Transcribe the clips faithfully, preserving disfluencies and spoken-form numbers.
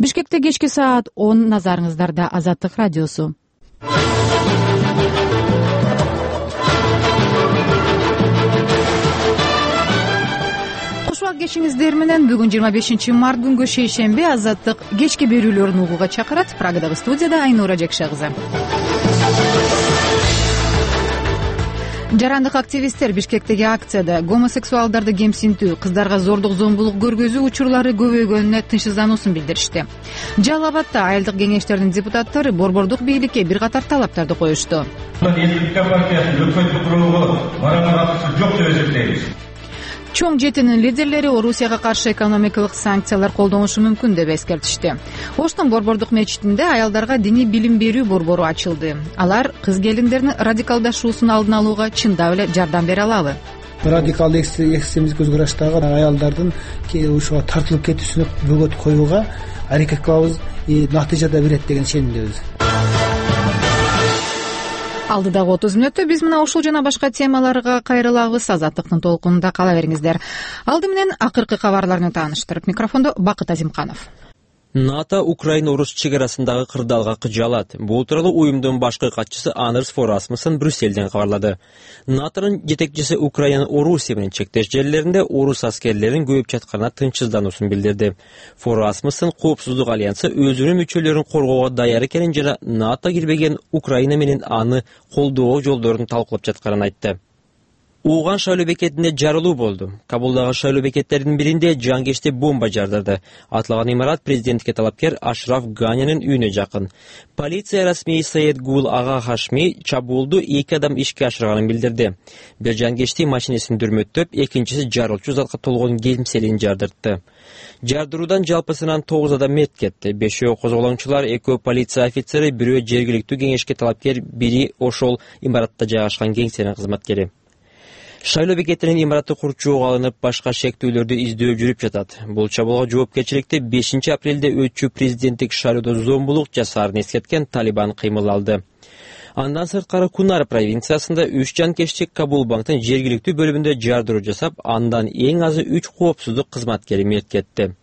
Бишкекте кечки саат он, назарыңыздарда Азаттык радиосу. Кушубак кешиңиздер менен бүгүн жыйырма бешинчи март күнгө шейшемби Азаттык кечки берүүлөрүн угууга чакырат. Прагадагы студияда Айнура Жекше кызы. Жарандык активисттер Бишкектеги акцияда гомосексуалдарды кемсинтүү, кыздарга зордук зомбулук көргөзүү учурлары көбөйгөнүнө тынчсыздануусун билдиришти. Жалал Абадта айылдык кеңештердин депутаттары борбордук бийликке бир катар талаптарды коюшту. Республика партиясынын өкмөттүк курулу мараңга катышы жок деп эсептейбиз. Чоң жетинин лидерлери Орусияга каршы экономикалык санкциялар колдонушу мүмкүн деп эскертишти. Оштун борбордук мечитинде аялдарга диний билим берүү борбору ачылды. Алар кыз келиндердин радикалдашуусун алдын алууга чындап эле жардам бере алабы? Радикалдык экстремистик көз караштагы аялдардын ушуга тартылып кетүүсүнө бөгөт коюуга аракет кылабыз, натыйжа да берет деген ишенимдебиз. Алдыдагы отуз мүнөттө биз мына ушул жана башка темаларга кайрылабыз. Азаттыктын толкунунда кала бериңиздер. Алды менен акыркы кабарларны тааныштырып, микрофондо Бакыт Азимканов. НАТО Украина-Орус чегарасындагы кырдаалга кыжалат. Бул тууралуу уюмдун башкы катчысы Андрес Фо Расмуссен Брюсселден кабарлады. НАТОнун жетекчиси Украинанын Орусия менен чектеш жерлеринде орус аскерлеринин көбөйүп жатканына тынчсыздануусун билдирди. Фо Расмуссен Коопсуздук альянсы өзүнүн мүчөлөрүн коргоого даяр экенин жана НАТО кирбеген Украина менен аны колдоо жолдорун талкуулап жатканын айтты. Уган шайлоо бекетинде жарылуу болду. Кабулдагы шайлоо бекеттеринин биринде жангечти бомба жардырды. Атылган имарат президентке талапкер Ашраф Ганинин үйүнө жакын. Полиция расмий Саид Гул Ага Хашми чабуулду эки адам ишке ашырганын билдирди. Бир жангечти машинесин дүрмөттөп, экинчиси жарылчу затка толгон кемселин жардыртты. Жардыруудан жалпысынан тогуз адам мерт кетти. Бешөө козголоңчулар, экөө полиция офицери, бирөө жергиликтүү кеңешке талапкер, бири ошол имаратта жайгашкан кеңсенин кызматкери. Шайлоо бекетинин имараты курчууга алынып, башка шектүүлөрдү издөө жүрүп жатат. Бул чабуулга жоопкерчиликти бешинчи апрелде өтчү президенттик шайлоодо зомбулук жасаарын эскерткен Талибан кыймыл алды. Андан сырткары Кунар провинциясында үч жанкечтик Кабул банктын жергиликтүү бөлүмүндө жардыруу жасап, андан эң азы үч коопсуздук кызматкери мерт кетти.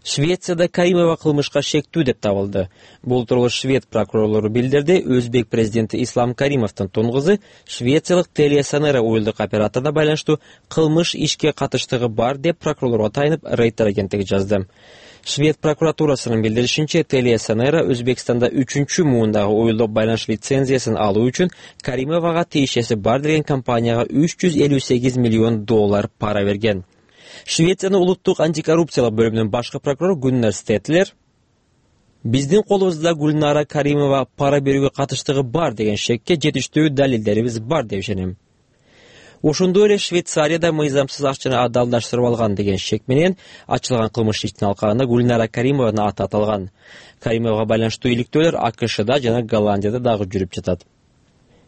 Швецияда Каримова кылмышка шектүү деп табылды. Бул тууралуу швед прокурорлору билдирди. Өзбек президенти Ислам Каримовдун тон кызы швециялык Телесонера уюлдук операторуна байланыштуу кылмыш ишке катыштыгы бар деп прокурорлорго тайынып Рейтер агенттиги жазды. Швед прокуратурасынын билдиришинче, Телесонера Өзбекстанда үчүнчү муундагы уюлдук байланыш лицензиясын алуу үчүн Каримовага тиешеси бар деген компанияга үч жүз элүү сегиз миллион доллар пара берген. Швециянын улуттук антикоррупциялык бөлүмүнүн башкы прокурору Гуннар Стетлер биздин колубузда Гүлнара Каримова пара берүүгө катыштыгы бар деген шекке жетиштүү далилдерибиз бар деп ишенем. Ошондой эле Швейцарияда мыйзамсыз акчаны адалдаштырып алган деген шек менен ачылган кылмыш ишинин алкагында Гүлнара Каримованын аты аталган. Каримовага байланыштуу иликтөөлөр АКШда жана Голландияда дагы жүрүп жатат.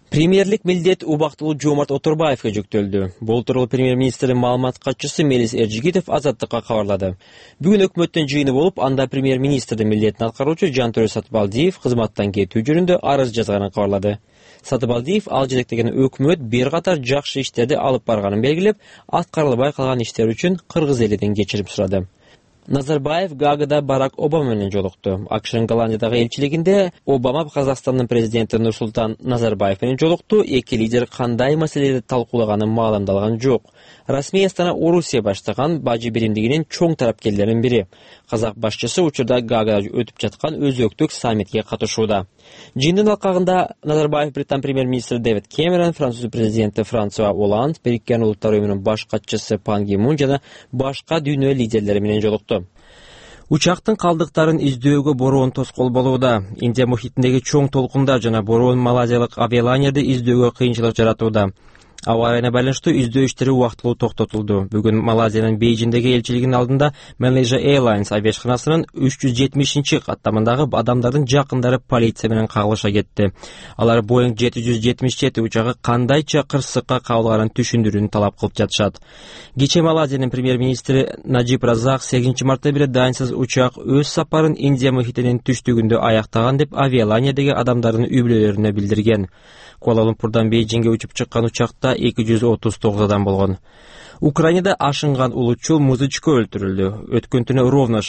Премьерлик милдет убактылуу Жомарт Оторбаевге жүктөлдү. Бул тууралуу премьер-министрдин маалымат катчысы Мелис Эржигитов Азаттыкка кабарлады. Бүгүн өкмөттүн жыйыны болуп, анда премьер-министрдин милдетин аткаруучу Жантөрө Сатыбалдиев кызматтан кетүү жөнүндө арыз жазганын кабарлады. Сатыбалдиев ал жетектеген өкмөт бир катар жакшы иштерди алып барганын белгилеп, аткарылбай калган иштер үчүн кыргыз элинен кечирим сурады. Назарбаев Гаагада Барак Обама менен жолукту. АКШнын Голландиядагы элчилигинде Обама Казакстандын президенти Нурсултан Назарбаев менен жолукту. Эки лидер кандай маселелерди талкуулаганы маалымдалган жок. Расмий Астана Орусия баштаган бажы биримдигинин чоң тарапкерлеринин бири. Казак башчысы учурда Гаагада өтүп жаткан өзөктүк саммитке катышууда. Жыйындын алкагында Назарбаев Британ премьер-министри Дэвид Кэмерон, Француз президенти Франсуа Олланд, Бириккен Улуттар уюмунун баш катчысы Пан Ги Мун жана башка дүйнө лидерлери менен жолукту. Учактын калдыктарын издөөгө бороон тоскоол болууда. Индия мухитиндеги чоң толкундар жана бороон малазиялык авиалайнерди издөөгө кыйынчылык жаратууда. Аба ырайына байланыштуу издөө иштери убактылуу токтотулду. Бүгүн Малайзиянын Бейжиңдеги элчилигинин алдында Malaysia Airlines авиашканасынын үч жүз жетимишинчи каттамындагы адамдардын жакындары полиция менен кагылыша кетти. Алар Boeing жети жүз жетимиш жети учагы кандайча кырсыкка кабылганын түшүндүрүүнү талап кылып жатышат. Кечээ Малайзиянын премьер-министри Наджиб Разак сегизинчи мартта бери дайынсыз учак өз сапарын Индия мухитинин түштүгүндө аяктаган деп авиалайнердеги адамдардын үй бүлөлөрүнө билдирген. Куала-Лумпурдан Бейжиңге учуп чыккан учакта эки жүз отуз тогуз адам болгон. Украинада ашынган улутчул музычко өлтүрүлдү. Өткөн түнү Ровно